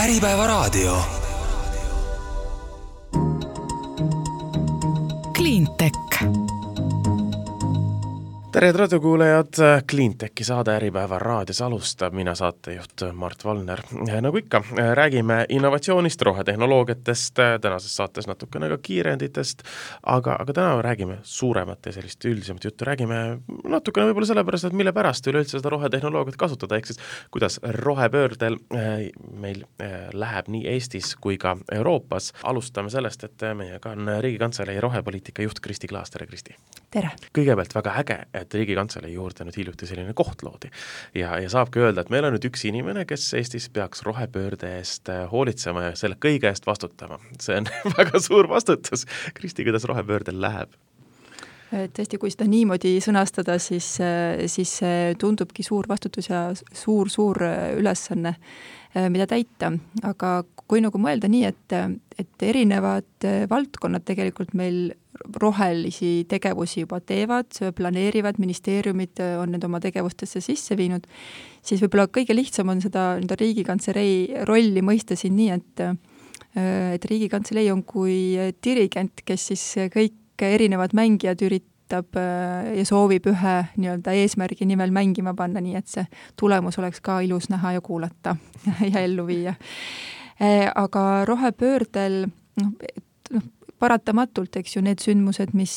Äripäevaraadio. Cleantech. Tere raadiokuulajad, Cleantechi saade Äripäeva raadios alustab, mina saatejuht Mart Valner. Nagu ikka, räägime innovatsioonist, rohetehnoloogiatest, tänases saates natukene ka kiirenditest, aga täna räägime suuremat ja sellist üldisemat juttu. Räägime natukene võib-olla sellepärast, et mille pärast üleüldse seda rohetehnoloogiat kasutada, ehk siis kuidas rohepöördel meil läheb nii Eestis kui ka Euroopas. Alustame sellest, et meiega on Riigikantselei rohepoliitika juht Kristi Klaas. Tere, Kristi! Tere! Kõigepealt väga äge, et Riigikantselei juurde nüüd hiljuti selline koht loodi. Ja saabki öelda, et meil on nüüd üks inimene, kes Eestis peaks rohepöörde eest hoolitsema ja selle kõige eest vastutama. See on väga suur vastutus. Kristi, kuidas rohepöördel läheb? Tõesti, kui seda niimoodi sõnastada, siis tundubki suur vastutus ja suur ülesanne, mida täita. Aga kui nagu mõelda nii, et erinevad valdkonnad tegelikult meil rohelisi tegevusi juba teevad, planeerivad, ministeeriumid on need oma tegevustesse sisse viinud, siis võib-olla kõige lihtsam on seda Riigikantselei rolli mõista siin nii, et Riigikantselei on kui dirigent, kes siis kõik erinevad mängijad üritab ja soovib ühe nii-öelda eesmärgi nimel mängima panna, nii et see tulemus oleks ka ilus näha ja kuulata ja ellu viia. Aga rohepöördel paratamatult, eks ju, need sündmused, mis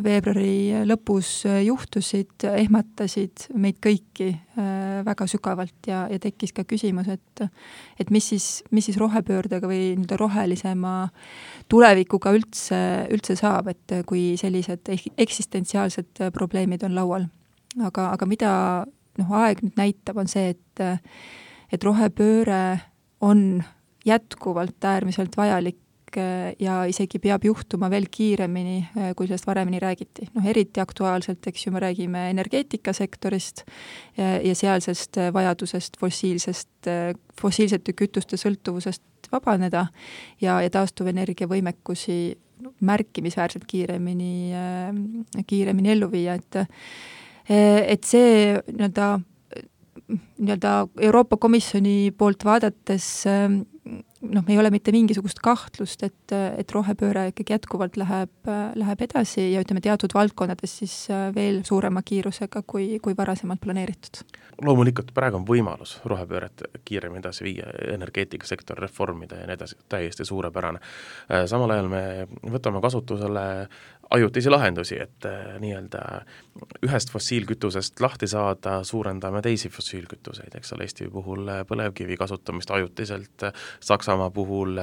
veebruari lõpus juhtusid, ehmatasid meid kõiki väga sügavalt ja tekkis ka küsimus, et mis siis rohepöördega või rohelisema tulevikuga üldse saab, et kui sellised eksistentsiaalsed probleemid on laual. Aga mida aeg nüüd näitab, on see, et rohepööre on jätkuvalt äärmiselt vajalik ja isegi peab juhtuma veel kiiremini, kui sellest varemini räägiti. Eriti aktuaalselt, eks ju, me räägime energeetikasektorist ja sealsest vajadusest fossiilsete kütuste sõltuvusest vabaneda ja taastuvenergia võimekusi märkimisväärselt kiiremini ellu viia. Et see nii-öelda Euroopa Komisjoni poolt vaadates ei ole mitte mingisugust kahtlust, et rohepööre ikkagi jätkuvalt läheb edasi ja ütleme teatud valdkonnades siis veel suurema kiirusega kui varasemalt planeeritud. Loomulikult praegu on võimalus rohepööret kiiremini edasi viia, energeetikasektor reformida ja nii edasi, täiesti suurepärane. Samal ajal me võtame kasutusele ajutisi lahendusi, et nii-öelda ühest fossiilkütusest lahti saada, suurendame teisi fossiilkütuseid, eks ole, Eesti puhul põlevkivi kasutamist ajutiselt, Saksamaa puhul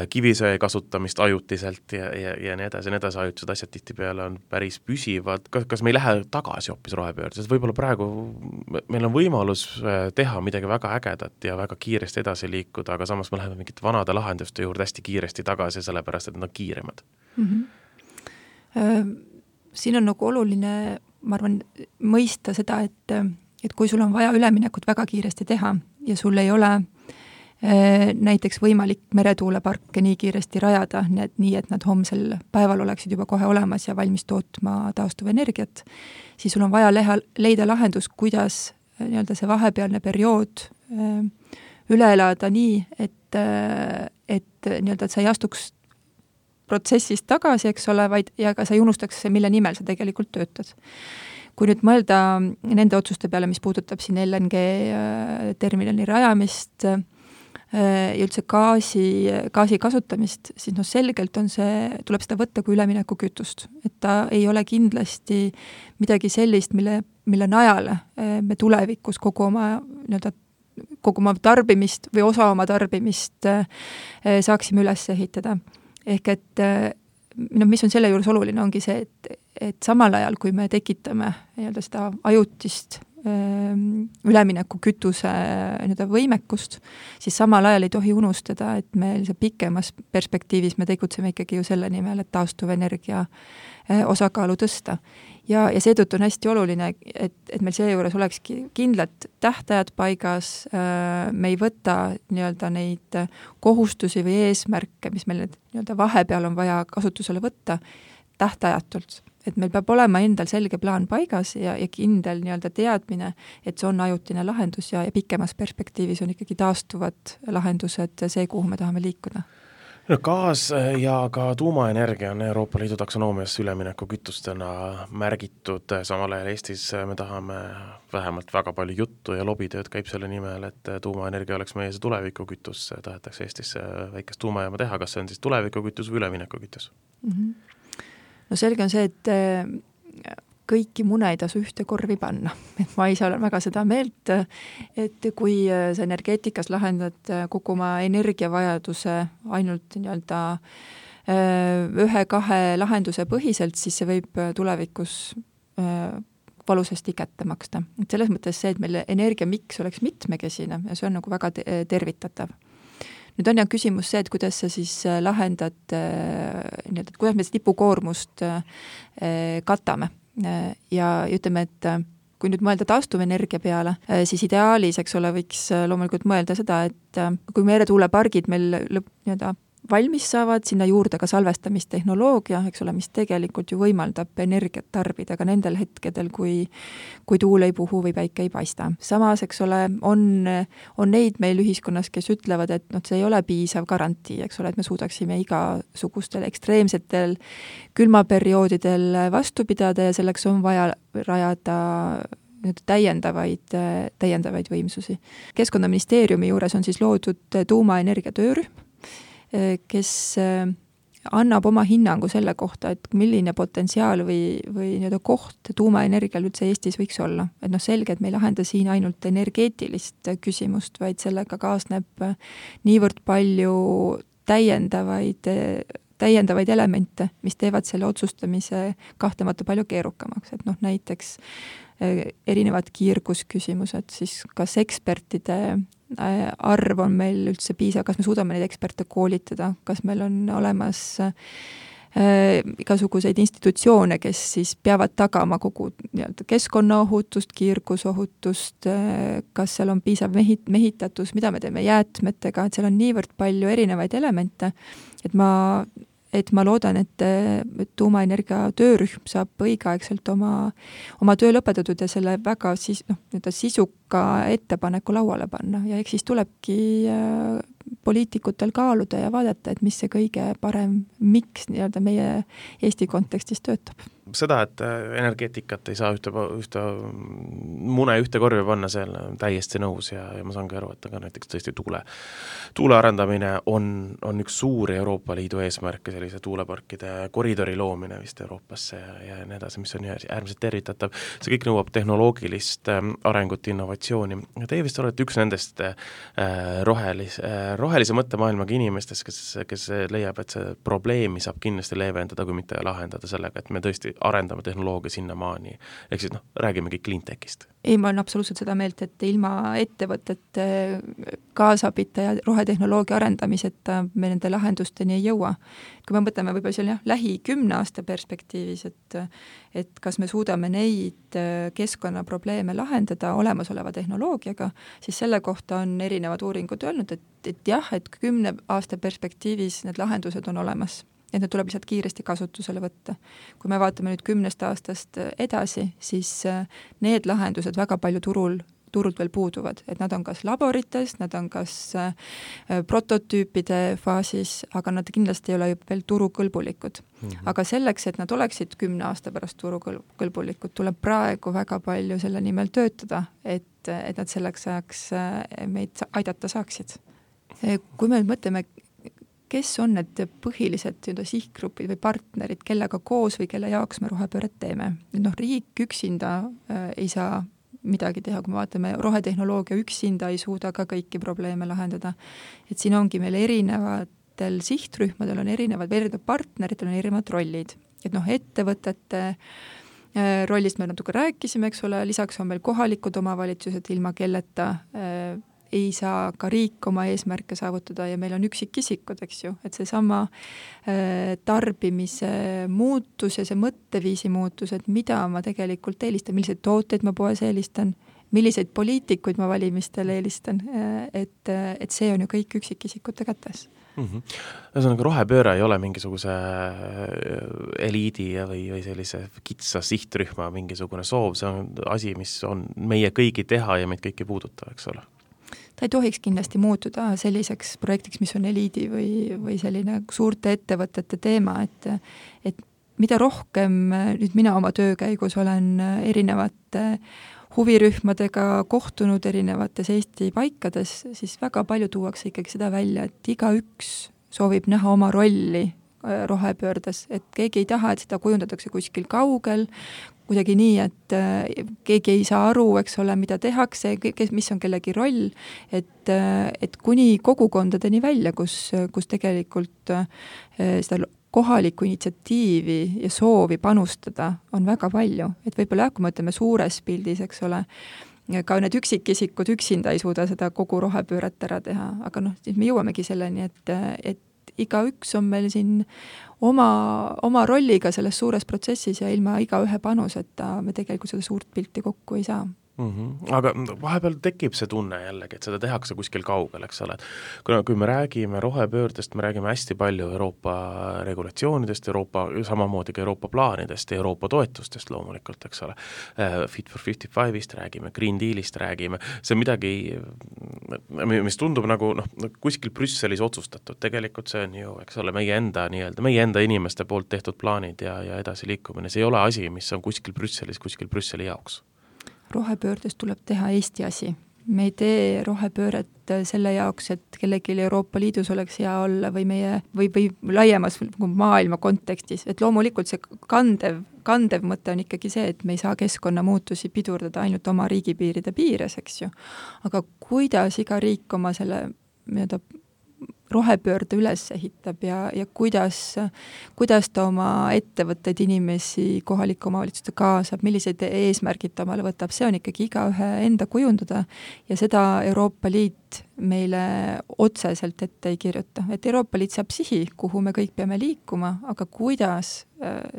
kivisöe kasutamist ajutiselt ja nii edasi, ajutised asjad tihtipeale on päris püsivad. Kas me ei lähe tagasi hoopis rohepöörde, sest võib-olla praegu meil on võimalus teha midagi väga ägedat ja väga kiiresti edasi liikuda, aga samas me läheme mingite vanade lahenduste juurde hästi kiiresti tagasi, sellepärast et nad on kiiremad. Siin on nagu oluline, ma arvan, mõista seda, et kui sul on vaja üleminekut väga kiiresti teha ja sul ei ole näiteks võimalik meretuuleparke nii kiiresti rajada, nii et nad homsel päeval oleksid juba kohe olemas ja valmis tootma taastuvenergiat, siis sul on vaja leida lahendus, kuidas nii-öelda see vahepealne periood üle elada nii, et nii-öelda sa ei astuks protsessist tagasi, eks ole, ja ka sa ei unustaks, mille nimel sa tegelikult töötad. Kui nüüd mõelda nende otsuste peale, mis puudutab siin LNG terminali rajamist ja üldse gaasi kasutamist, siis selgelt tuleb seda võtta kui ülemineku kütust. Et ta ei ole kindlasti midagi sellist, mille najale me tulevikus kogu oma tarbimist või osa oma tarbimist saaksime üles ehitada. Ehk et mis on selle juures oluline, ongi see, et samal ajal, kui me tekitame seda ajutist ülemineku kütuse võimekust, siis samal ajal ei tohi unustada, et meil see pikemas perspektiivis me tegutseme ikkagi ju selle nimel, et taastuvenergia osakaalu tõsta. Ja seetõttu on hästi oluline, et meil seejuures olekski kindlad tähtajad paigas, me ei võta nii-öelda neid kohustusi või eesmärke, mis meil vahepeal on vaja kasutusele võtta, tähtajatult. et meil peab olema endal selge plaan paigas ja kindel nii-öelda teadmine, et see on ajutine lahendus ja pikemas perspektiivis on ikkagi taastuvad lahendused see, kuhu me tahame liikuda. No, gaas ja ka tuumaenergia on Euroopa Liidu taksonoomia ülemineku kütustena märgitud, samal ajal Eestis me tahame vähemalt väga palju juttu ja lobitööd käib selle nimel, et tuumaenergia oleks meie see tulevikukütus, tahetakse Eestis väikest tuumajaama teha, kas see on siis tulevikukütus või üleminekukütus? No selge on see, et kõiki mune ei tasu ühte korvi panna. Et ma ise olen väga seda meelt, et kui sa energeetikas lahendad kogu oma energiavajaduse ainult nii-öelda 1-2 lahenduse põhiselt, siis see võib tulevikus valusasti kätte maksta. Et selles mõttes see, et meil energiamiks oleks mitmekesine ja see on nagu väga tervitatav. Nüüd on küsimus see, et kuidas sa siis lahendad, kuidas me tipukoormust katame. Ja ütleme, et kui nüüd mõelda taastuvenergia peale, siis ideaalis, eks ole, võiks loomulikult mõelda seda, et kui meretuulepargid meil valmis saavad, sinna juurde ka salvestamistehnoloogia, eks ole, mis tegelikult ju võimaldab energiat tarbida ka nendel hetkedel, kui tuul ei puhu või päike ei paista. Samas, eks ole, on neid meil ühiskonnas, kes ütlevad, et see ei ole piisav garantii, eks ole, et me suudaksime igasugustel ekstreemsetel külmaperioodidel vastu pidada ja selleks on vaja rajada täiendavaid võimsusi. Keskkonnaministeeriumi juures on siis loodud tuumaenergia töörühm, kes annab oma hinnangu selle kohta, et milline potentsiaal või koht tuumaenergial üldse Eestis võiks olla. Et selge, et me ei lahenda siin ainult energeetilist küsimust, vaid sellega kaasneb niivõrd palju täiendavaid elemente, mis teevad selle otsustamise kahtlemata palju keerukamaks. Et näiteks erinevad kiirgusküsimused, siis kas ekspertide arv on meil üldse piisav, kas me suudame neid eksperte koolitada, kas meil on olemas igasuguseid institutsioone, kes siis peavad tagama kogu keskkonnaohutust, kiirgusohutust, kas seal on piisav mehitatus, mida me teeme jäätmetega, et seal on niivõrd palju erinevaid elemente, et ma loodan, et tuumaenergia töörühm saab õigeaegselt oma töö lõpetatud ja selle väga sisuka ettepaneku lauale panna ja eks siis tulebki poliitikutel kaaluda ja vaadata, et mis see kõige parem miks meie Eesti kontekstis töötab. Seda, et energeetikat ei saa ühte mune ühte korvi panna, seal täiesti nõus ja ma saan ka aru, et aga näiteks tõesti tuule arendamine on üks suuri Euroopa Liidu eesmärke, sellise tuuleparkide koridori loomine vist Euroopasse ja nii edasi, mis on äärmiselt tervitatav. See kõik nõuab tehnoloogilist arengut, innovatsiooni. Teie vist olete üks nendest rohelise mõttemaailmaga inimestest, kes leiab, et see probleemi saab kindlasti leevendada, kui mitte lahendada sellega, et me tõesti arendame tehnoloogia sinna maani. Ehk siis räägimegi cleantechist. Ei, ma olen absoluutselt seda meelt, et ilma ettevõtete kaasabita ja rohetehnoloogia arendamiseta me nende lahendusteni ei jõua. Kui me mõtleme võib-olla seal lähi 10 aasta perspektiivis, et kas me suudame neid keskkonnaprobleeme lahendada olemasoleva tehnoloogiaga, siis selle kohta on erinevad uuringud öelnud, et jah, et 10 aasta perspektiivis need lahendused on olemas. Et need tuleb lihtsalt kiiresti kasutusele võtta. Kui me vaatame nüüd 10 aastast edasi, siis need lahendused väga palju turult veel puuduvad, et nad on kas laborites, nad on kas prototüüpide faasis, aga nad kindlasti ei ole veel turukõlbulikud. Aga selleks, et nad oleksid 10 aasta pärast turukõlbulikud, tuleb praegu väga palju selle nimel töötada, et nad selleks ajaks meid aidata saaksid. Kui me mõtleme, kes on need põhilised sihtgrupid või partnerid, kellega koos või kelle jaoks me rohepööret teeme. Riik üksinda ei saa midagi teha, kui me vaatame, rohetehnoloogia üksinda ei suuda ka kõiki probleeme lahendada. Et siin ongi meil erinevatel sihtrühmadel on erinevad partneritel on erinevad rollid. Et ettevõtete rollist me natuke rääkisime, eks ole, lisaks on meil kohalikud omavalitsused, ilma kelleta ei saa ka riik oma eesmärke saavutada ja meil on üksikisikud, eks ju, et seesama tarbimise muutus ja see mõtteviisi muutus, et mida ma tegelikult eelistan, milliseid tooteid ma poes eelistan, milliseid poliitikuid ma valimistel eelistan, et see on ju kõik üksikisikute kätes. Ühesõnaga, rohepööre ei ole mingisuguse eliidi või sellise kitsa sihtrühma mingisugune soov, see on asi, mis on meie kõigi teha ja meid kõiki puuduta, eks ole? Ta ei tohiks kindlasti muutuda selliseks projektiks, mis on eliidi või selline suurte ettevõtete teema, et mida rohkem nüüd mina oma töö käigus olen erinevate huvirühmadega kohtunud erinevates Eesti paikades, siis väga palju tuuakse ikkagi seda välja, et igaüks soovib näha oma rolli rohepöördes, et keegi ei taha, et seda kujundatakse kuskil kaugel, kuidagi nii, et keegi ei saa aru, eks ole, mida tehakse, mis on kellegi roll, et kuni kogukondadeni välja, kus tegelikult seda kohalikku initsiatiivi ja soovi panustada on väga palju. Et võib-olla kui me ütleme suures pildis, eks ole, ka need üksikisikud üksinda ei suuda seda kogu rohepööret ära teha, aga siis me jõuamegi selleni, et igaüks on meil siin oma rolliga selles suures protsessis ja ilma igaühe panuseta me tegelikult seda suurt pilti kokku ei saa. Aga vahepeal tekib see tunne jällegi, et seda tehakse kuskil kaugel, eks ole. Kui me räägime rohepöördest, me räägime hästi palju Euroopa regulatsioonidest, samamoodi ka Euroopa plaanidest ja Euroopa toetustest loomulikult, eks ole. Fit for 55-ist räägime, Green Dealist räägime, see on midagi, mis tundub nagu kuskil Brüsselis otsustatud, tegelikult see on ju, eks ole, meie enda inimeste poolt tehtud plaanid ja edasi liikumine, see ei ole asi, mis on kuskil Brüsselis, kuskil Brüsseli jaoks. Rohepöördest tuleb teha Eesti asi. Me ei tee rohepööret selle jaoks, et kellelgi Euroopa Liidus oleks hea olla või laiemas maailma kontekstis. Et loomulikult see kandev mõte on ikkagi see, et me ei saa keskkonnamuutusi pidurdada ainult oma riigipiiride piires, eks ju. Aga kuidas iga riik oma selle rohepöörde üles ehitab ja kuidas ta oma ettevõtteid, inimesi, kohalike omavalitsuste kaasab, millised eesmärgid ta omale võtab, see on ikkagi igaühe enda kujundada ja seda Euroopa Liit meile otseselt ette ei kirjuta. Et Euroopa Liit saab sihi, kuhu me kõik peame liikuma, aga kuidas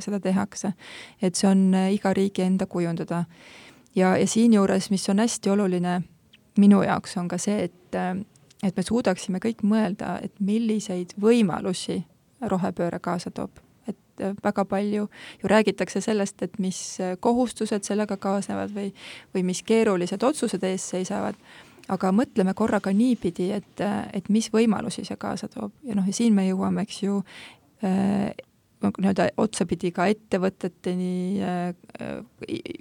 seda tehakse, et see on iga riigi enda kujundada. Ja siinjuures, mis on hästi oluline minu jaoks, on ka see, et me suudaksime kõik mõelda, et milliseid võimalusi rohepööre kaasa toob. Et väga palju ju räägitakse sellest, et mis kohustused sellega kaasnevad või mis keerulised otsused ees seisavad, aga mõtleme korraga niipidi, et mis võimalusi see kaasa toob. Ja siin me jõuame, eks ju, otsapidi ka ettevõteteni,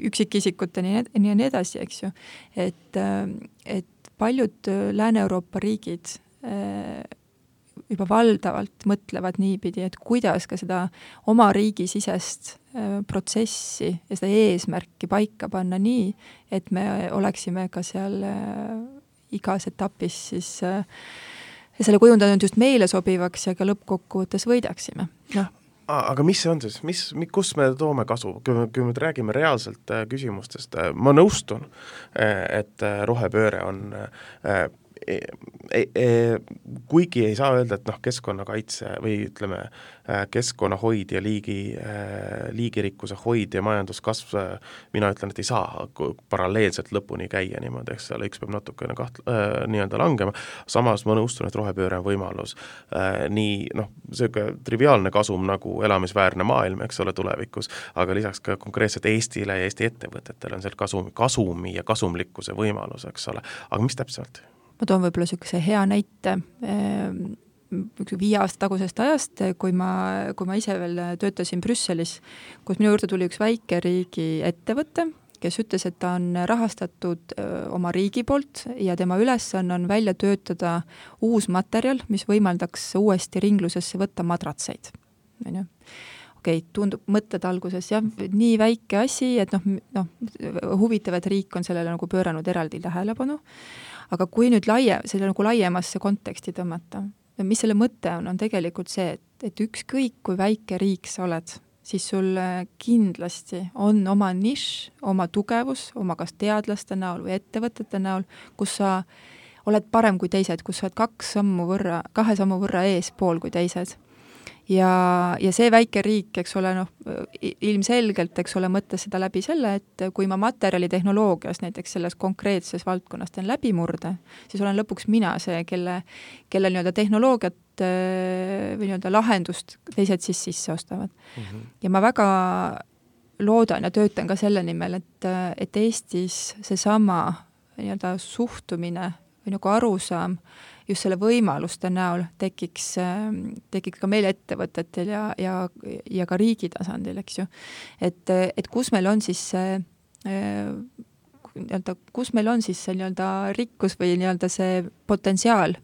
üksikisikuteni ja nii edasi, eks ju. Et paljud Lääne-Euroopa riigid juba valdavalt mõtlevad niipidi, et kuidas ka seda oma riigisisest protsessi ja seda eesmärki paika panna nii, et me oleksime ka seal igas etapis siis selle kujundanud just meile sobivaks ja ka lõppkokkuvõttes võidaksime. Aga mis see on siis? Kus me toome kasu? Kui me räägime reaalselt küsimustest, ma nõustun, et rohepööre on kuigi ei saa öelda, et keskkonnakaitse või ütleme keskkonnahoid ja liigirikkuse hoid ja majanduskasv, mina ütlen, et ei saa paralleelselt lõpuni käia niimoodi, eks ole, üks peab natukene nii-öelda langema, samas ma nõustun, et rohepööre on võimalus see triviaalne kasum nagu elamisväärne maailm, eks ole, tulevikus, aga lisaks ka konkreetselt Eestile ja Eesti ettevõtetele on seal kasumi ja kasumlikkuse võimalus, eks ole, aga mis täpselt? Ma toon võib-olla niisuguse hea näite 5 aasta tagusest ajast, kui ma ise veel töötasin Brüsselis, kus minu juurde tuli üks väikeriigi ettevõte, kes ütles, et ta on rahastatud oma riigi poolt ja tema ülesanne on välja töötada uus materjal, mis võimaldaks uuesti ringlusesse võtta madratseid. Tundub mõtted alguses, nii väike asi, et huvitav, et riik on sellele nagu pööranud eraldi tähelepanu. Aga kui nüüd selle nagu laiemasse konteksti tõmmata, mis selle mõte on tegelikult see, et ükskõik kui väike riik sa oled, siis sul kindlasti on oma nišš, oma tugevus, oma kas teadlaste näol või ettevõtete näol, kus sa oled parem kui teised, kus sa oled 2 sammu võrra eespool kui teised. ja see väike riik, eks ole, ilmselgelt, eks ole, mõtles seda läbi selle, et kui ma materjalitehnoloogias näiteks selles konkreetses valdkonnas teen läbimurde, siis olen lõpuks mina see, kelle nii-öelda tehnoloogiat või nii-öelda lahendust teised siis sisse ostavad. Ja ma väga loodan ja töötan ka selle nimel, et Eestis seesama nii-öelda suhtumine või nagu arusaam just selle võimaluste näol tekiks ka meil ettevõtetel ja ka riigi tasandil, eks ju. Et kus meil on siis see nii-öelda rikkus või nii-öelda see potentsiaal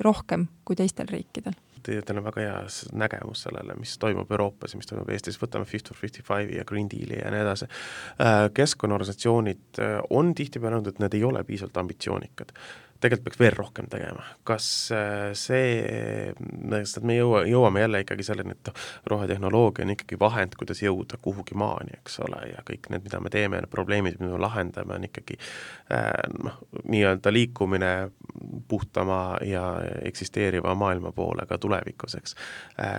rohkem kui teistel riikidel. Teil on väga hea nägemus sellele, mis toimub Euroopas ja mis toimub Eestis, võtame Fit for 55 ja Green Deali ja nii edasi. Keskkonnaorganisatsioonid on tihtipeale öelnud, et need ei ole piisavalt ambitsioonikad. Tegelikult peaks veel rohkem tegema. Kas me jõuame jälle ikkagi selleni, et rohetehnoloogia on ikkagi vahend, kuidas jõuda kuhugi maani, eks ole, ja kõik need, mida me teeme, probleemid, mida me lahendame, on ikkagi nii-öelda liikumine puhtama ja eksisteeriva maailma poole ka tulevikuseks.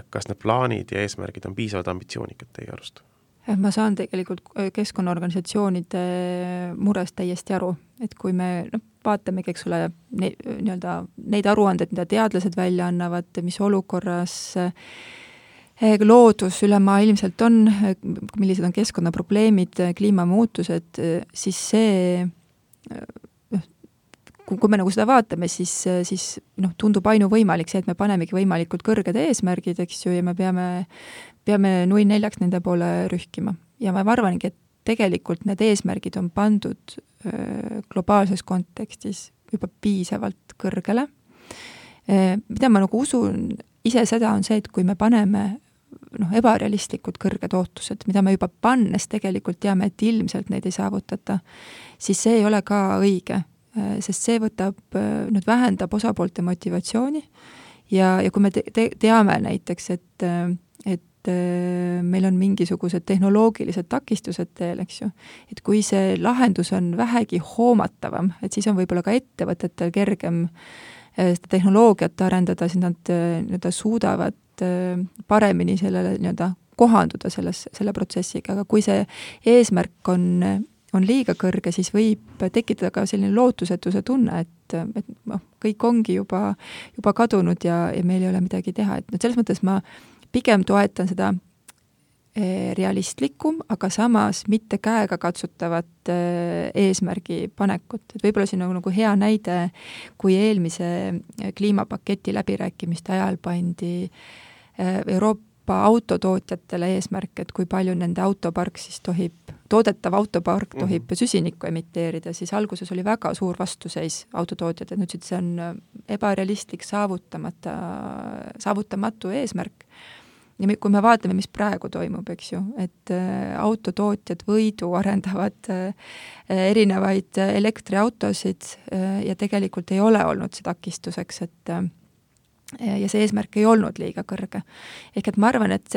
Kas need plaanid ja eesmärgid on piisavalt ambitsioonikad teie arust? Ma saan tegelikult keskkonnaorganisatsioonide murest täiesti aru, et kui me vaatamegi, eks ole, neid aruanded, mida teadlased välja annavad, mis olukorras loodus ülemaailmselt on, millised on keskkonnaprobleemid, kliimamuutused, siis see, kui me nagu seda vaatame, siis tundub ainuvõimalik see, et me panemegi võimalikult kõrged eesmärgid, eks ju, ja me peame 0-4 nende poole rühkima. Ja ma arvangi, et tegelikult need eesmärgid on pandud globaalses kontekstis juba piisavalt kõrgele. Mida ma nagu usun ise seda on see, et kui me paneme ebarealistlikud kõrged ootused, mida me juba pannes tegelikult teame, et ilmselt neid ei saavutata, siis see ei ole ka õige, sest see vähendab osapoolte motivatsiooni ja kui me teame näiteks, et meil on mingisugused tehnoloogilised takistused teel, eks ju, et kui see lahendus on vähegi hoomatavam, et siis on võib-olla ka ettevõtetel kergem seda tehnoloogiat arendada, siis nad suudavad paremini sellele kohanduda selle protsessiga, aga kui see eesmärk on liiga kõrge, siis võib tekitada ka selline lootusetuse tunne, et kõik ongi juba kadunud ja meil ei ole midagi teha, et selles mõttes ma pigem toetan seda realistlikum, aga samas mitte käega katsutavat eesmärgi panekut. Et võib-olla siin on nagu hea näide, kui eelmise kliimapaketi läbirääkimiste ajal pandi Euroopa autotootjatele eesmärk, et kui palju nende autopark siis toodetav autopark tohib süsinikku emiteerida, siis alguses oli väga suur vastuseis autotootjad, et nüüd see on ebarealistlik saavutamatu eesmärk. Ja kui me vaatame, mis praegu toimub, eks ju, et autotootjad võidu arendavad erinevaid elektriautosid ja tegelikult ei ole olnud see takistuseks, ja see eesmärk ei olnud liiga kõrge. Ehk et ma arvan, et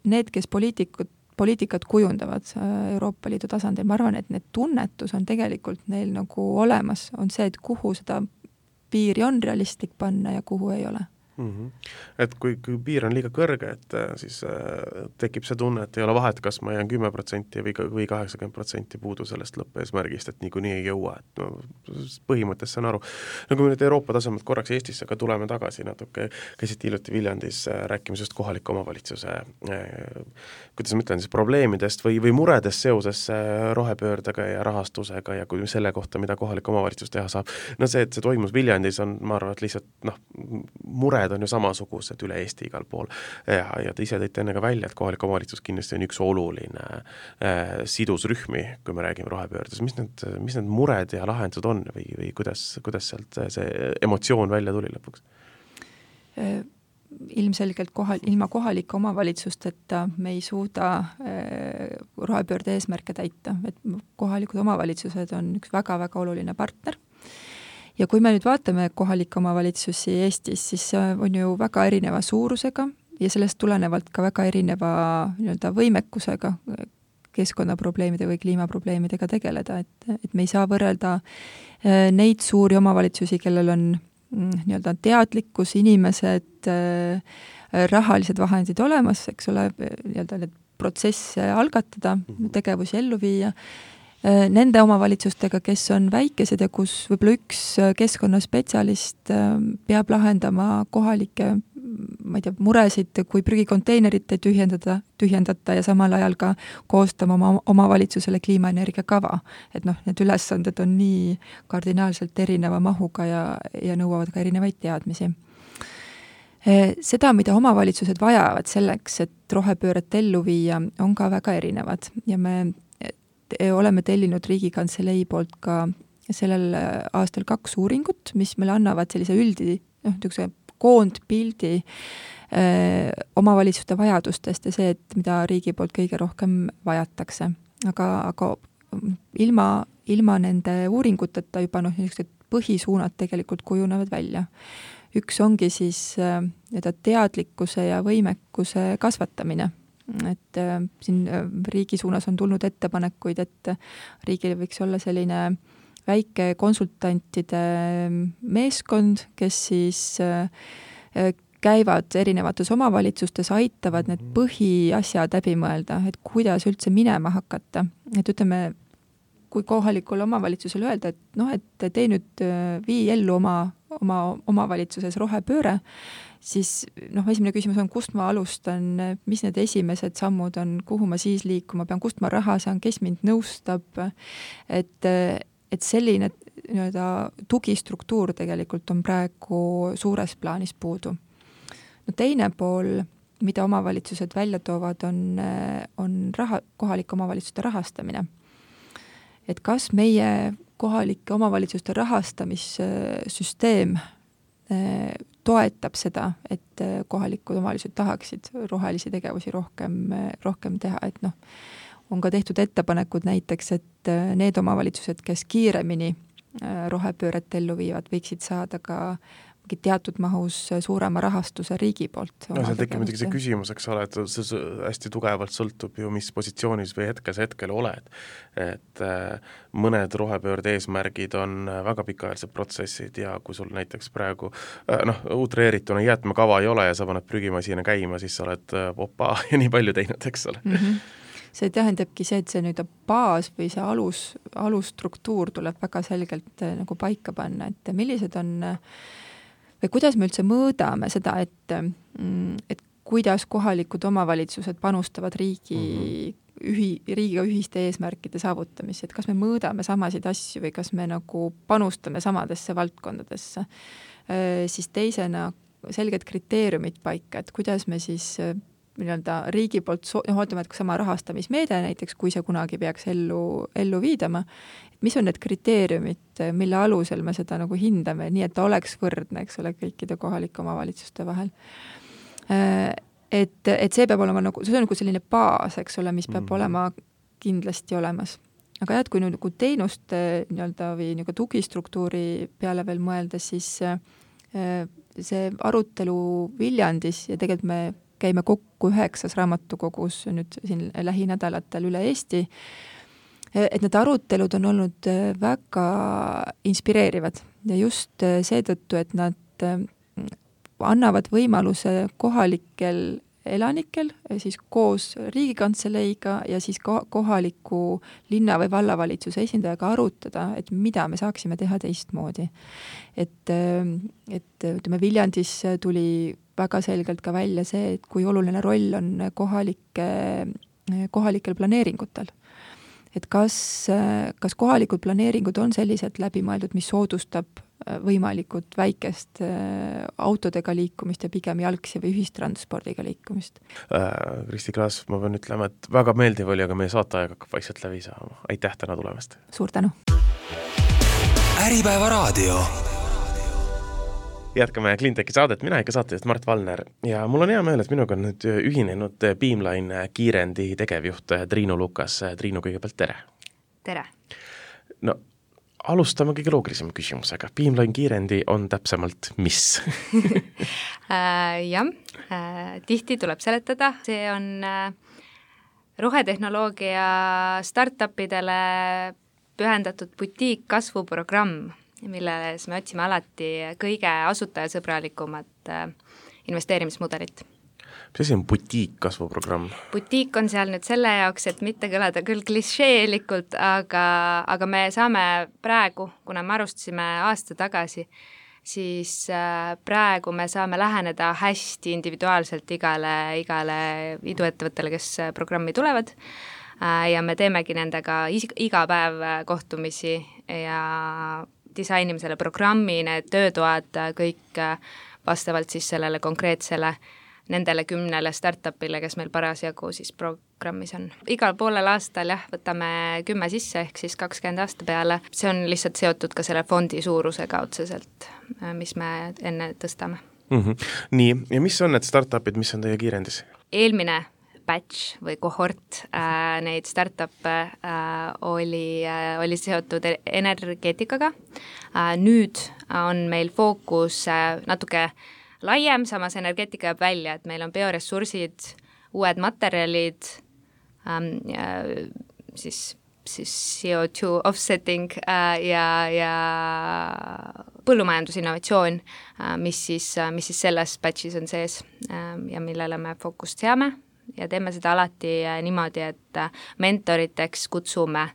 need, kes poliitikat kujundavad Euroopa Liidu tasandil, ma arvan, et need tunnetus on tegelikult neil nagu olemas, on see, et kuhu seda piiri on realistlik panna ja kuhu ei ole. Et kui piir on liiga kõrge, et siis tekib see tunne, et ei ole vahet, kas ma jään 10% või 80% puudu sellest lõppeesmärgist, et niikuinii ei jõua. Et põhimõttes saan aru. No kui me nüüd Euroopa tasemelt korraks Eestisse ka tuleme tagasi natuke, käisid hiljuti Viljandis rääkimisest kohaliku omavalitsuse kuidas ma ütlen siis probleemidest või muredest seoses rohepöördega ja rahastusega ja kui selle kohta, mida kohalik omavalitsus teha saab. No see, et see toimus Viljandis on, ma arvan, et lihtsalt mured on ju samasugused üle Eesti igal pool ja te ise tõite enne ka välja, et kohalik omavalitsus kindlasti on üks oluline sidusrühmi, kui me räägime rohepöördes. Mis need mured ja lahendused on või kuidas sealt see emotsioon välja tuli lõpuks? Ilmselgelt ilma kohalike omavalitsusteta me ei suuda rohepöörde eesmärke täita, et kohalikud omavalitsused on üks väga-väga oluline partner. Ja kui me nüüd vaatame kohalikke omavalitsusi Eestis, siis on ju väga erineva suurusega ja sellest tulenevalt ka väga erineva võimekusega keskkonnaprobleemide või kliimaprobleemidega tegeleda, et me ei saa võrrelda neid suuri omavalitsusi, kellel on teadlikkus, inimesed, rahalised vahendid olemas, eks ole, nii-öelda need protsesse algatada, tegevusi ellu viia, nende omavalitsustega, kes on väikesed ja kus võib-olla üks keskkonnaspetsialist peab lahendama kohalikke, ma ei tea, muresid, kui prügikonteinerit ei tühjendata ja samal ajal ka koostama oma omavalitsusele kliimaenergia kava. Et need ülesanded on nii kardinaalselt erineva mahuga ja nõuavad ka erinevaid teadmisi. Seda, mida omavalitsused vajavad selleks, et rohepööret ellu viia, on ka väga erinevad ja me oleme tellinud Riigikantselei poolt ka sellel aastal 2 uuringut, mis meile annavad sellise niisuguse koondpildi omavalitsuste vajadustest ja see, et mida riigi poolt kõige rohkem vajatakse. Aga ilma nende uuringuteta juba niisugused põhisuunad tegelikult kujunevad välja. Üks ongi siis teadlikkuse ja võimekuse kasvatamine. Et siin riigi suunas on tulnud ettepanekuid, et riigil võiks olla selline väike konsultantide meeskond, kes siis käivad erinevates omavalitsustes, aitavad need põhiasjad läbi mõelda, et kuidas üldse minema hakata. Et ütleme, kui kohalikul omavalitsusel öelda, et tee nüüd vii ellu oma omavalitsuses rohepööre, siis esimene küsimus on, kust ma alustan, mis need esimesed sammud on, kuhu ma siis liikuma pean, kust ma raha saan, kes mind nõustab, et selline tugistruktuur tegelikult on praegu suures plaanis puudu. Teine pool, mida omavalitsused välja toovad, on kohalike omavalitsuste rahastamine. Et kas meie kohalike omavalitsuste rahastamissüsteem toetab seda, et kohalikud omavalitsused tahaksid rohelisi tegevusi rohkem teha, et on ka tehtud ettepanekud näiteks, et need omavalitsused, kes kiiremini rohepööret ellu viivad, võiksid saada ka teatud mahus suurema rahastuse riigi poolt. Seal tekib muidugi see küsimus, eks ole, et see hästi tugevalt sõltub ju, mis positsioonis või hetkel oled. Et mõned rohepöörde eesmärgid on väga pikaajalised protsessid ja kui sul näiteks praegu utreerituna jäätmekava ei ole ja sa paned prügimasina käima, siis sa oled opa ja nii palju teinud, eks ole. See tähendabki see, et see nüüd baas või see alusstruktuur tuleb väga selgelt nagu paika panna, et millised on või kuidas me üldse mõõdame seda, et kuidas kohalikud omavalitsused panustavad riigiga ühiste eesmärkide saavutamisse, et kas me mõõdame samasid asju või kas me nagu panustame samadesse valdkondadesse. Siis teisena selged kriteeriumid paika, et kuidas me siis riigi poolt, ootame, et sama rahastamismeede näiteks, kui see kunagi peaks ellu viidama, et mis on need kriteeriumid, mille alusel me seda nagu hindame, nii et ta oleks võrdne, eks ole, kõikide kohalike omavalitsuste vahel. Et see peab olema see on nagu selline baas, eks ole, mis peab olema kindlasti olemas. Aga kui nagu teenuste või nagu tugistruktuuri peale veel mõelda, siis see arutelu Viljandis ja tegelikult me käime kokku 9 raamatukogus nüüd siin lähinädalatel üle Eesti, et need arutelud on olnud väga inspireerivad ja just seetõttu, et nad annavad võimaluse kohalikel elanikel siis koos Riigikantseleiga ja siis kohaliku linna või vallavalitsuse esindajaga arutada, et mida me saaksime teha teistmoodi. Et ütleme, Viljandis tuli väga selgelt ka välja see, et kui oluline roll on kohalikel planeeringutel. Et kas kohalikud planeeringud on sellised läbimõeldud, mis soodustab võimalikult väikest autodega liikumist ja pigem jalgsi või ühistranspordiga liikumist. Kristi Klaas, ma pean ütlema, et väga meeldiv oli, aga meie saateaeg hakkab vaikselt läbi saama. Aitäh täna tulemast! Suur tänu! Äripäeva raadio. Jätkame Cleanteki saadet, mina ikka saatejuht Mart Valner ja mul on hea meel, et minuga on nüüd ühinenud Beamline kiirendi tegevjuht Triinu Lukas. Triinu, kõigepealt tere! Tere! No, alustame kõige loogilisema küsimusega. Beamline kiirendi on täpsemalt mis? Jah, tihti tuleb seletada. See on rohetehnoloogia startupidele pühendatud butiik kasvuprogramm, milles me otsime alati kõige asutajasõbralikumat investeerimismudelit. Mis asi on butiik-kasvuprogramm? Butiik on seal nüüd selle jaoks, et mitte kõlada küll klišeelikult, aga me saame praegu, kuna me alustasime aasta tagasi, siis praegu me saame läheneda hästi individuaalselt igale iduettevõttele, kes programmi tulevad, ja me teemegi nendega iga päev kohtumisi ja disainime selle programmi, need töötoad, kõik vastavalt siis sellele konkreetsele nendele 10 startupile, kes meil parasjagu siis programmis on. Igal poolel aastal võtame 10 sisse, ehk siis 20 aasta peale. See on lihtsalt seotud ka selle fondi suurusega otseselt, mis me enne tõstame. Nii, ja mis on need startupid, mis on teie kiirendis? Eelmine batch või kohort neid startup'e oli seotud energeetikaga. Nüüd on meil fookus natuke laiem, samas energeetika jääb välja, et meil on bioressursid, uued materjalid, siis CO2 offsetting ja põllumajandusinnovatsioon, mis siis selles batchis on sees ja millele me fookust seame ja teeme seda alati niimoodi, et mentoriteks kutsume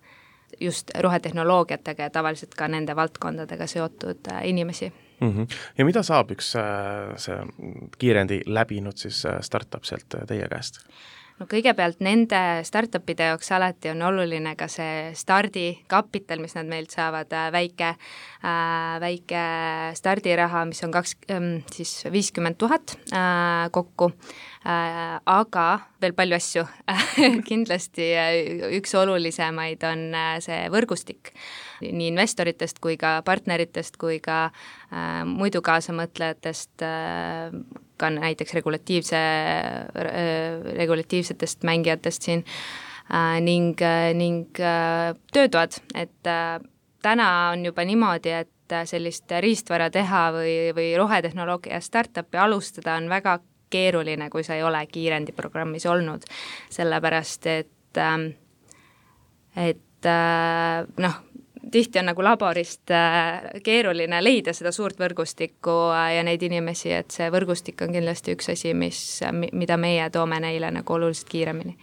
just rohetehnoloogiatega ja tavaliselt ka nende valdkondadega seotud inimesi. Ja mida saab üks see kiirendi läbinud siis startup sealt teie käest? No kõigepealt nende startupide jaoks alati on oluline ka see stardikapital, mis nad meilt saavad, väike stardiraha, mis on 50 000 kokku, aga veel palju asju. Kindlasti üks olulisemaid on see võrgustik nii investoritest kui ka partneritest kui ka muidu kaasamõtlejatest, ka näiteks regulatiivsetest mängijatest siin ning töötoad, et täna on juba niimoodi, et sellist riistvara teha või rohetehnoloogia startupi alustada on väga keeruline, kui sa ei ole kiirendi programmis olnud, sellepärast et tihti on nagu laborist keeruline leida seda suurt võrgustikku ja neid inimesi, et see võrgustik on kindlasti üks asi, mida meie toome neile nagu oluliselt kiiremini.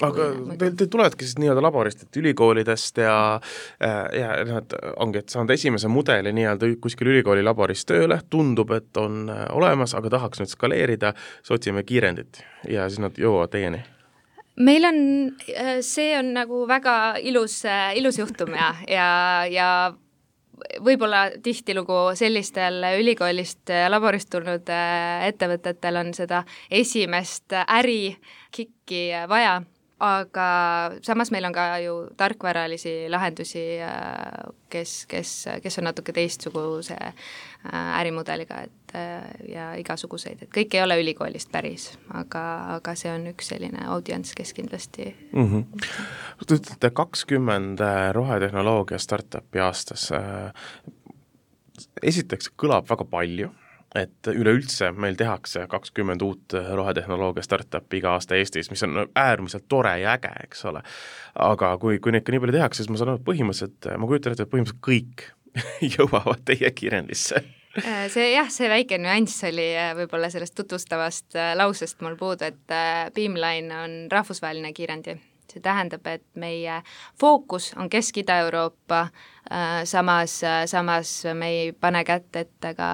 Aga te tuledki siis nii-öelda laborist, et ülikoolidest ja nad ongi, et saanud esimese mudeli nii-öelda kuskil ülikooli laboris tööle, tundub, et on olemas, aga tahaks nüüd skaleerida, siis otsime kiirendit ja siis nad jõuavad teieni. Meil on, see on nagu väga ilus juhtum ja võib-olla tihtilugu sellistel ülikoolist laborist tulnud ettevõtetel on seda esimest ärikikki vaja, aga samas meil on ka ju tarkvaralisi lahendusi, kes on natuke teistsuguse ärimudeliga ja igasuguseid, et kõik ei ole ülikoolist päris, aga see on üks selline audients, kes kindlasti Te ütlete 20 rohetehnoloogia startupi aastas. Esiteks kõlab väga palju, et üleüldse meil tehakse 20 uut rohetehnoloogia startupi iga aasta Eestis, mis on äärmiselt tore ja äge, eks ole. Aga kui neid ka nii palju tehakse, siis ma saan põhimõtteliselt, ma kujutan ette, et põhimõtteliselt kõik jõuavad teie kiirendisse. See väike nüanss oli võib-olla sellest tutvustavast lausest mul puudu, et Beamline on rahvusvaheline kiirendi. See tähendab, et meie fookus on Kesk-Ida-Euroopa, samas me ei pane kätte ette ka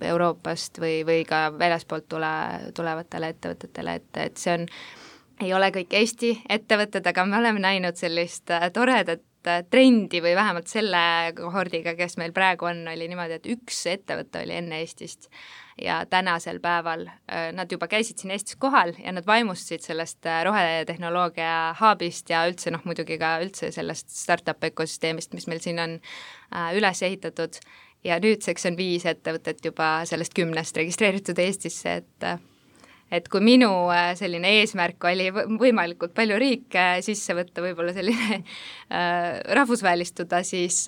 Euroopast või ka väljaspoolt tulevatele ettevõtetele, et see ei ole kõik Eesti ettevõtted, aga me oleme näinud sellist toredat trendi või vähemalt selle kohordiga, kes meil praegu on, oli niimoodi, et üks ettevõte oli enne Eestist ja tänasel päeval nad juba käisid siin Eestis kohal ja nad vaimustasid sellest rohetehnoloogia hubist ja üldse muidugi ka üldse sellest startup ökosüsteemist, mis meil siin on üles ehitatud ja nüüdseks on 5 ettevõtet juba sellest 10 registreeritud Eestisse, et kui minu selline eesmärk oli võimalikult palju riike sisse võtta, võib-olla selline rahvusvälistuda, siis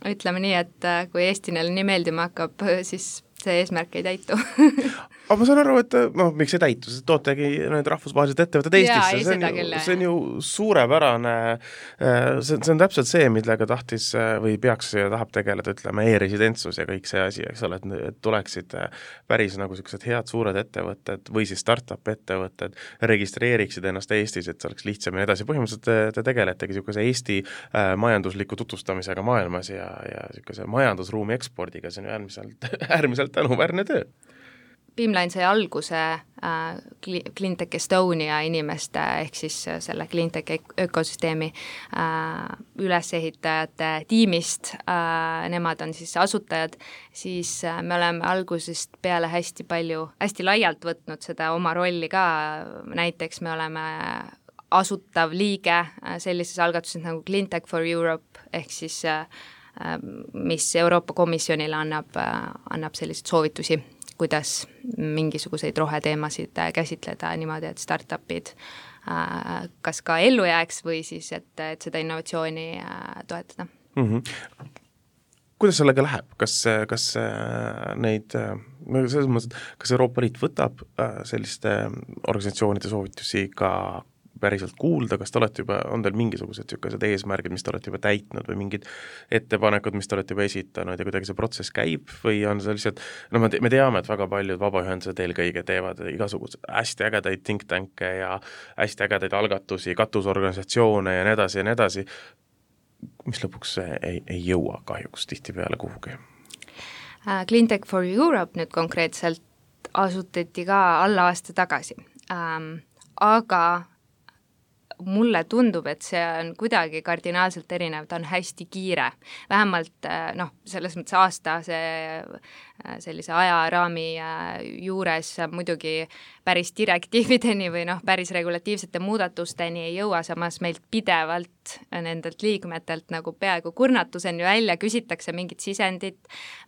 ütleme nii, et kui Eesti neile nii meeldima hakkab, siis see eesmärk ei täitu. Aga ma saan aru, et miks ei täitu, sest tootegi need rahvusvahelised ettevõtted Eestisse, see on ju suurepärane, see on täpselt see, millega tahtis või peaks ja tahab tegeleda, ütleme, e-residentsus ja kõik see asi, eks ole, et tuleksid päris nagu sellised head suured ettevõtted või siis startup ettevõtted registreeriksid ennast Eestis, et see oleks lihtsamini edasi. Põhimõtteliselt te tegeletegi niisuguse Eesti majandusliku tutvustamisega maailmas ja niisuguse majandusruumi ekspordiga, see on äärmiselt tänuväärne töö. Beamline sai alguse Cleantech Estonia inimeste ehk siis selle Cleantech ökosüsteemi ülesehitajate tiimist, nemad on siis asutajad, siis me oleme algusest peale hästi laialt võtnud seda oma rolli ka, näiteks me oleme asutav liige sellises algatuses nagu Cleantech for Europe ehk siis mis Euroopa Komisjonile annab selliseid soovitusi, kuidas mingisuguseid roheteemasid käsitleda niimoodi, et startupid kas ka ellu jääks või siis, et seda innovatsiooni toetada. Kuidas sellega läheb? Kas neid, selles mõttes, kas Euroopa Liit võtab selliste organisatsioonide soovitusi ka päriselt kuulda, kas te olete juba, on teil mingisugused eesmärgid, mis te olete juba täitnud või mingid ettepanekud, mis te olete juba esitanud ja kuidagi see protsess käib või on see lihtsalt, me teame, et väga paljud vabaühendused eelkõige teevad igasugused hästi ägedaid think tank'e ja hästi ägedaid algatusi, katusorganisatsioone ja nii edasi, mis lõpuks ei jõua kahjuks tihtipeale kuhugi. Cleantech for Europe nüüd konkreetselt asutati ka alla aasta tagasi, aga mulle tundub, et see on kuidagi kardinaalselt erinev, ta on hästi kiire. Vähemalt selles mõttes aasta sellise ajaraami juures muidugi päris direktiivideni või päris regulatiivsete muudatusteni ei jõua, samas meilt pidevalt nendelt liikmetelt nagu peaaegu kurnatuseni välja küsitakse mingit sisendit,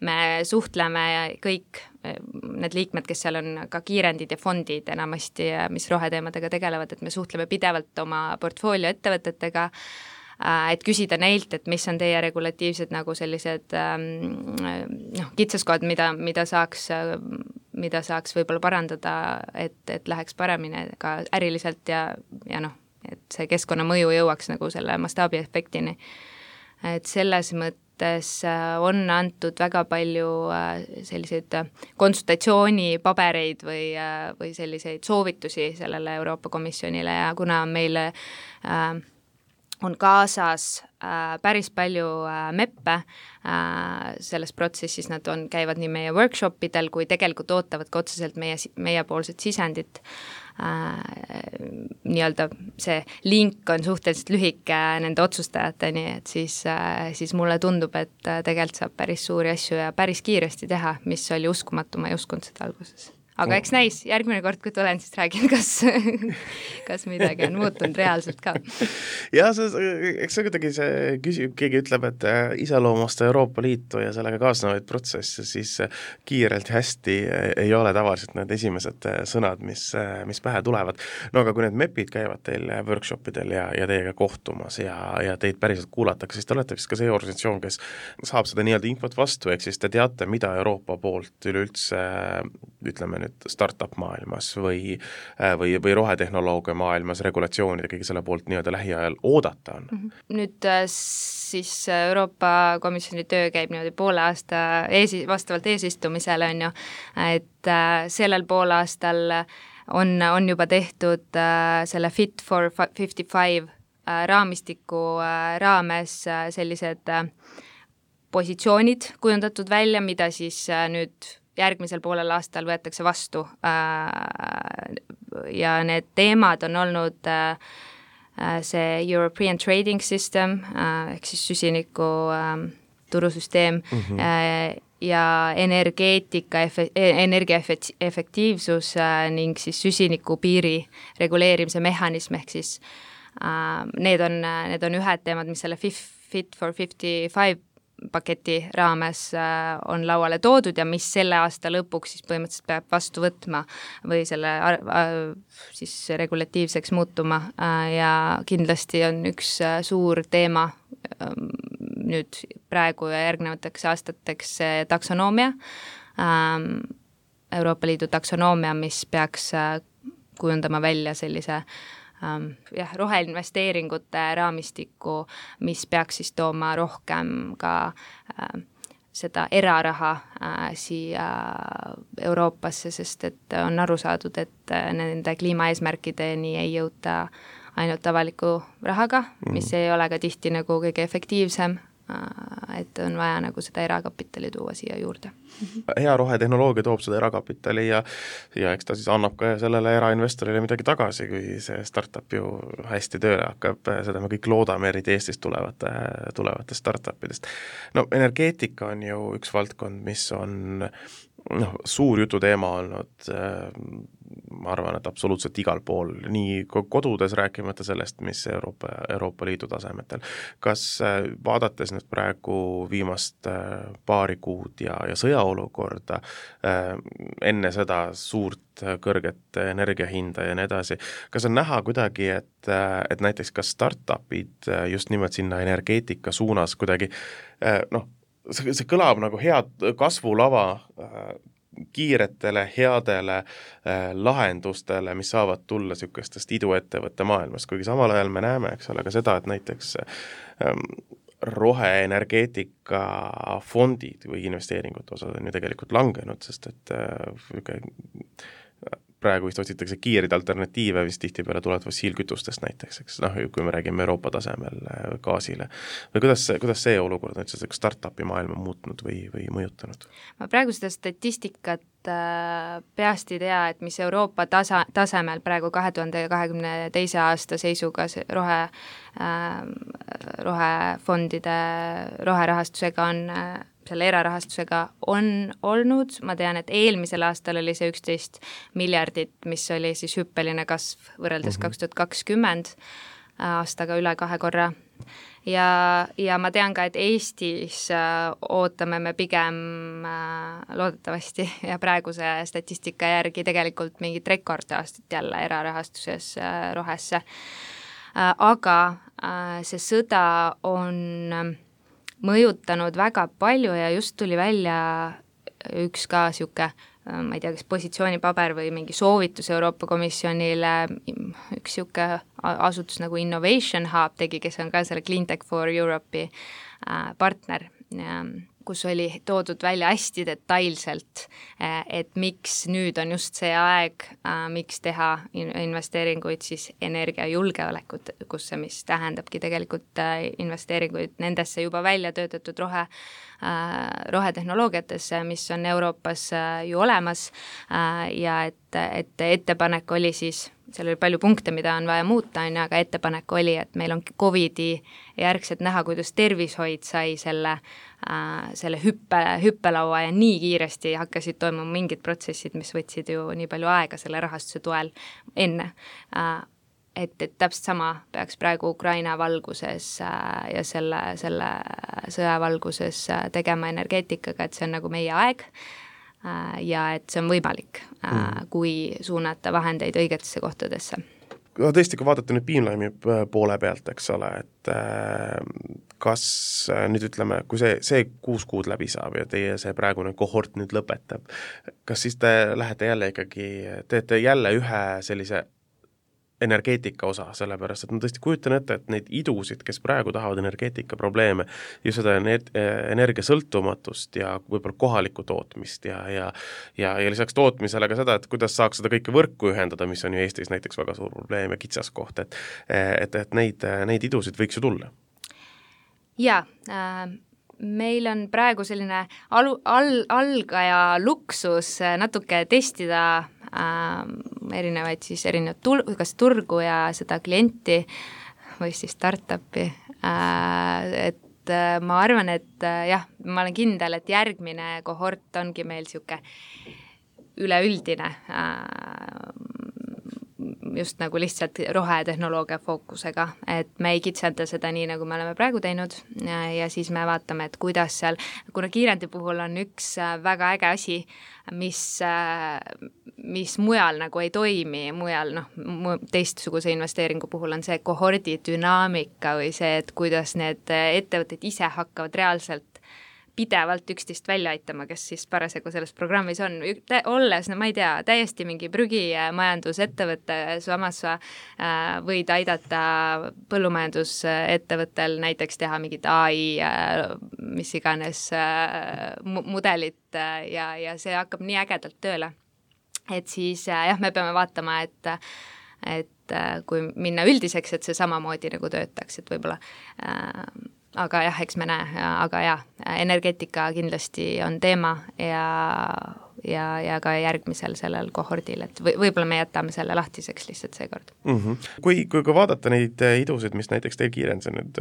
me suhtleme kõik need liikmed, kes seal on ka kiirendid ja fondid enamasti, mis roheteemadega tegelevad, et me suhtleme pidevalt oma portfoolio ettevõtetega, et küsida neilt, et mis on teie regulatiivsed nagu sellised kitsaskohad, mida saaks võib-olla parandada, et läheks paremini ka äriliselt ja et see keskkonnamõju jõuaks nagu selle mastaabiefektini. Et selles mõttes on antud väga palju selliseid konsultatsioonipabereid või selliseid soovitusi sellele Euroopa Komisjonile ja kuna meile on kaasas päris palju MEP-e selles protsessis, nad käivad nii meie workshopidel kui tegelikult ootavad ka otseselt meiepoolset sisendit. Nii-öelda see link on suhteliselt lühike nende otsustajateni, et siis mulle tundub, et tegelikult saab päris suuri asju ja päris kiiresti teha, mis oli uskumatu, ma ei uskunud seda alguses. Aga eks näis, järgmine kord, kui tulen, siis räägin, kas midagi on muutunud reaalselt ka. Ja eks see kuidagi keegi ütleb, et iseloomasta Euroopa Liitu ja sellega kaasnevaid protsesse, siis kiirelt hästi ei ole tavaliselt need esimesed sõnad, mis pähe tulevad. No aga kui need MEP-id käivad teil workshopidel ja teiega kohtumas ja teid päriselt kuulatakse, siis te olete vist ka see organisatsioon, kes saab seda nii-öelda infot vastu, ehk siis te teate, mida Euroopa poolt üleüldse, ütleme nüüd startup maailmas või rohetehnoloogia maailmas, regulatsioonide kõige selle poolt nii-öelda lähiajal oodata on? Nüüd siis Euroopa Komisjoni töö käib niimoodi poole aasta vastavalt eesistumisele on ju, et sellel poolaastal on juba tehtud selle Fit for 55 raamistiku raames sellised positsioonid kujundatud välja, mida siis nüüd järgmisel poolel aastal võetakse vastu ja need teemad on olnud see European Trading System ehk siis süsiniku turusüsteem ja energiaefektiivsus ning siis süsiniku piiri reguleerimise mehhanism ehk siis need on ühed teemad, mis selle Fit for 55 paketi raames on lauale toodud ja mis selle aasta lõpuks siis põhimõtteliselt peab vastu võtma või selle siis regulatiivseks muutuma ja kindlasti on üks suur teema nüüd praegu ja järgnevateks aastateks taksonoomia, Euroopa Liidu taksonoomia, mis peaks kujundama välja sellise roheinvesteeringute raamistiku, mis peaks siis tooma rohkem ka seda eraraha siia Euroopasse, sest et on aru saadud, et nende kliimaeesmärkideni ei jõuta ainult avaliku rahaga, mis ei ole ka tihti nagu kõige efektiivsem, et on vaja nagu seda erakapitali tuua siia juurde. Hea rohetehnoloogia toob seda erakapitali ja eks ta siis annab ka sellele erainvestorile midagi tagasi, kui see startup ju hästi tööle hakkab, seda me kõik loodame, eriti Eestist tulevate startupidest. No energeetika on ju üks valdkond, mis on suur jututeema olnud, ma arvan, et absoluutselt igal pool, nii kodudes rääkimata sellest, mis Euroopa Liidu tasemetel. Kas vaadates nüüd praegu viimast paari kuud ja sõjaolukorda, enne seda suurt kõrget energiahinda ja nii edasi, kas on näha kuidagi, et näiteks ka startupid just nimelt sinna energeetika suunas kuidagi, see kõlab nagu head kasvulava kiiretele, headele lahendustele, mis saavad tulla niisugustest iduettevõtte maailmast, kuigi samal ajal me näeme, eks ole, ka seda, et näiteks roheenergeetika fondid või investeeringute osad on ju tegelikult langenud, sest et praegu vist otsitakse kiireid alternatiive, vist tihtipeale tulevad fossiilkütustest näiteks, eks, kui me räägime Euroopa tasemel gaasile. Või kuidas see olukord on üldse startupi maailma muutnud või mõjutanud? Ma praegu seda statistikat peast ei tea, et mis Euroopa tasemel praegu 2022. aasta seisuga rohefondide roherahastusega on selle erarahastusega on olnud, ma tean, et eelmisel aastal oli see 11 miljardit, mis oli siis hüppeline kasv võrreldes 2020 aastaga üle 2 korra. Ja ma tean ka, et Eestis ootame me pigem loodetavasti ja praeguse statistika järgi tegelikult mingit rekordaastat jälle erarahastuses rohesse. Aga see sõda on mõjutanud väga palju ja just tuli välja üks ka siuke, ma ei tea, kas positsioonipaber või mingi soovitus Euroopa Komisjonile, üks siuke asutus nagu Innovation Hub tegi, kes on ka selle Cleantech for Europe'i partner, kus oli toodud välja hästi detailselt, et miks nüüd on just see aeg, miks teha investeeringuid siis energiajulgeolekusse, mis tähendabki tegelikult investeeringuid nendesse juba välja töötatud rohetehnoloogiatesse, mis on Euroopas ju olemas ja et ettepanek oli siis, seal oli palju punkte, mida on vaja muuta, aga ettepanek oli, et meil on COVID-i järgselt näha, kuidas tervishoid sai selle hüppelaua ja nii kiiresti hakkasid toimuma mingid protsessid, mis võtsid ju nii palju aega selle rahastuse toel enne. Et täpselt sama peaks praegu Ukraina valguses ja selle sõja valguses tegema energeetikaga, et see on nagu meie aeg ja et see on võimalik, kui suunata vahendeid õigetesse kohtadesse. Tõesti, kui vaadata nüüd Beamline'i poole pealt, eks ole, et kas nüüd ütleme, kui see 6 kuud läbi saab ja teie see praegune kohort nüüd lõpetab, kas siis te lähete jälle ikkagi, teete jälle ühe sellise energeetika osa, sellepärast, et ma tõesti kujutan ette, et neid idusid, kes praegu tahavad energeetika probleeme, just seda energiasõltumatust ja võib-olla kohalikku tootmist ja lisaks tootmisele ka seda, et kuidas saaks seda kõike võrku ühendada, mis on ju Eestis näiteks väga suur probleem ja kitsaskoht, et neid idusid võiks ju tulla. Jaa, meil on praegu selline algaja luksus natuke testida erinevaid kas turgu ja seda klienti või siis startupi, et ma arvan, et jah, ma olen kindel, et järgmine kohort ongi meil siuke üleüldine just nagu lihtsalt rohetehnoloogia fookusega, et me ei kitsenda seda nii, nagu me oleme praegu teinud ja siis me vaatame, et kuidas seal, kuna kiirendi puhul on üks väga äge asi, mis mujal nagu ei toimi, mujal teistsuguse investeeringu puhul on see kohordi dünaamika või see, et kuidas need ettevõtted ise hakkavad reaalselt pidevalt üksteist välja aitama, kes siis parasjagu selles programmis on, olles, no ma ei tea, täiesti mingi prügimajandusettevõte, samas sa võid aidata põllumajandusettevõttel näiteks teha mingit AI, mis iganes mudelit ja see hakkab nii ägedalt tööle. Et siis jah, me peame vaatama, et kui minna üldiseks, et see samamoodi nagu töötaks, et võib-olla aga jah, eks me näe, aga jah, energeetika kindlasti on teema ja ka järgmisel sellel kohordil, et võib-olla me jätame selle lahtiseks lihtsalt seekord. Kui vaadata neid idusid, mis näiteks teil Kiirens on nüüd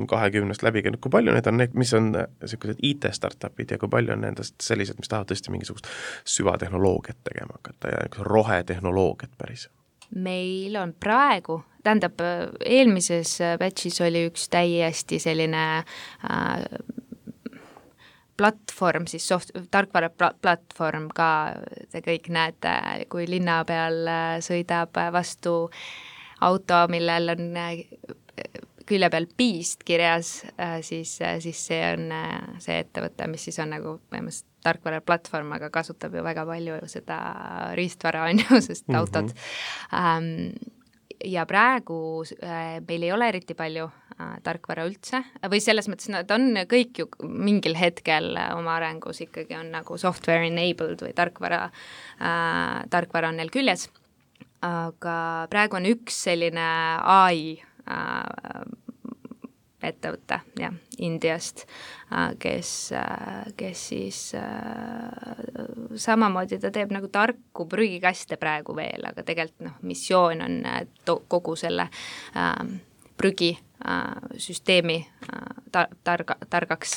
20 läbi käinud, kui palju need on need, mis on sellised IT-startupid ja kui palju on nendest sellised, mis tahavad tõesti mingisugust süvatehnoloogiat tegema hakata ja rohetehnoloogiat päris? Meil on praegu, tähendab, eelmises batchis oli üks täiesti selline platvorm, siis tarkvara platvorm ka, te kõik näete, kui linna peal sõidab vastu auto, millel on külje peal Beast kirjas, siis see on see ettevõte, mis siis on nagu põhimõtteliselt tarkvara platvorm, aga kasutab ju väga palju seda riistvara on ju, sest autod. Ja praegu meil ei ole eriti palju tarkvara üldse, või selles mõttes nad on kõik ju mingil hetkel oma arengus ikkagi on nagu software enabled või tarkvara on neil küljes, aga praegu on üks selline AI ettevõte, jah, Indiast, kes siis samamoodi ta teeb nagu tarku prügikaste praegu veel, aga tegelikult missioon on kogu selle prügisüsteemi targaks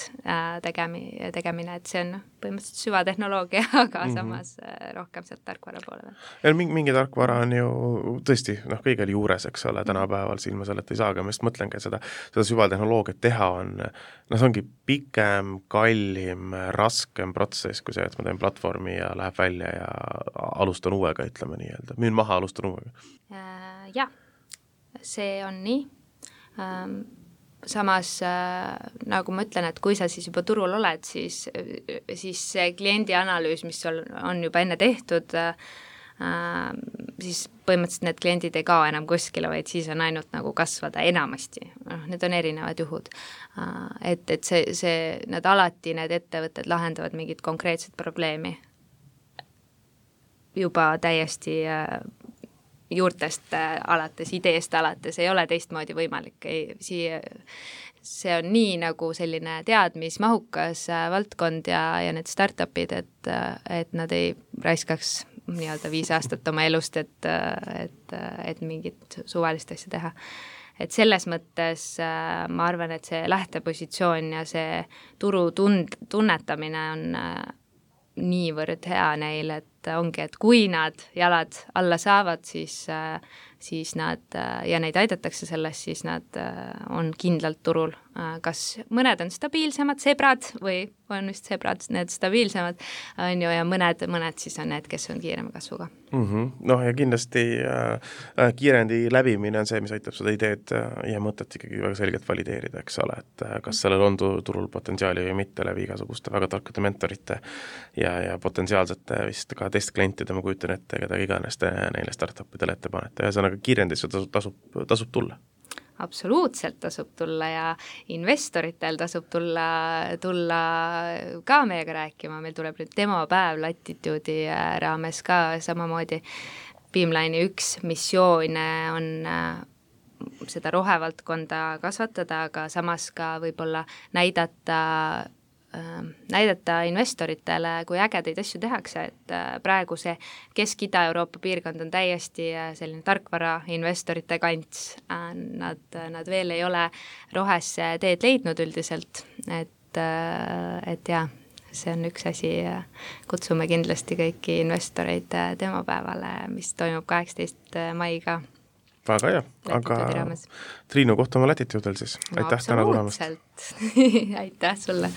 tegemine, et see on põhimõtteliselt süvatehnoloogia, aga samas rohkem sealt tarkvara poole veel. Mingi tarkvara on ju tõesti kõigel juures, eks ole, tänapäeval silma sellelt ei saagi, ma just mõtlengi, seda süvatehnoloogiat teha on, see ongi pikem, kallim, raskem protsess kui see, et ma teen platvormi ja läheb välja ja alustan uuega, ütleme nii-öelda. Müün maha, alustan uuega. Jah, see on nii. Samas, nagu ma ütlen, et kui sa siis juba turul oled, siis see kliendi analüüs, mis on juba enne tehtud, siis põhimõtteliselt need kliendid ei kao enam kuskile, vaid siis on ainult nagu kasvada enamasti. Need on erinevad juhud. Et need alati, need ettevõtted lahendavad mingit konkreetset probleemi juba täiesti juurtest alates, ideest alates, ei ole teistmoodi võimalik. See on nii nagu selline teadmismahukas valdkond ja need startupid, et nad ei raiskaks nii-öelda 5 aastat oma elust, et mingit suvalist asja teha. Et selles mõttes ma arvan, et see lähtepositsioon ja see turu tunnetamine on niivõrd hea neil, et ongi, et kui nad jalad alla saavad, siis nad ja neid aidatakse sellest, siis nad on kindlalt turul. Kas mõned on stabiilsemad sebrad või on just sebrad need stabiilsemad, on ju, ja mõned siis on need, kes on kiirema kasvuga. Ja kindlasti kiirendi läbimine on see, mis aitab seda ideed ja mõtet ikkagi väga selgelt valideerida, eks ole, et kas sellel on turul potentsiaali või mitte läbi igasuguste väga tarkade mentorite ja potentsiaalsete vist ka teiste klientide, ma kujutan ette, keda iganes te neile startupidele ette panete ja ühesõnaga kiirendisse tasub tulla. Absoluutselt tasub tulla ja investoritel tasub tulla ka meiega rääkima, meil tuleb nüüd demopäev Latitude'i raames ka samamoodi. Beamline'i üks missioon on seda rohevaldkonda kasvatada, aga samas ka võib-olla näidata investoritele, kui ägedaid asju tehakse, et praegu see Kesk-Ida-Euroopa piirkond on täiesti selline tarkvara investorite kants. Nad veel ei ole rohesse teed leidnud üldiselt, et jah, see on üks asi, kutsume kindlasti kõiki investoreid demopäevale, mis toimub 18. maiga. Väga hea, aga Triinu, kohtame Latitude'l siis. Aitäh täna tulemast. Absoluutselt, aitäh sulle.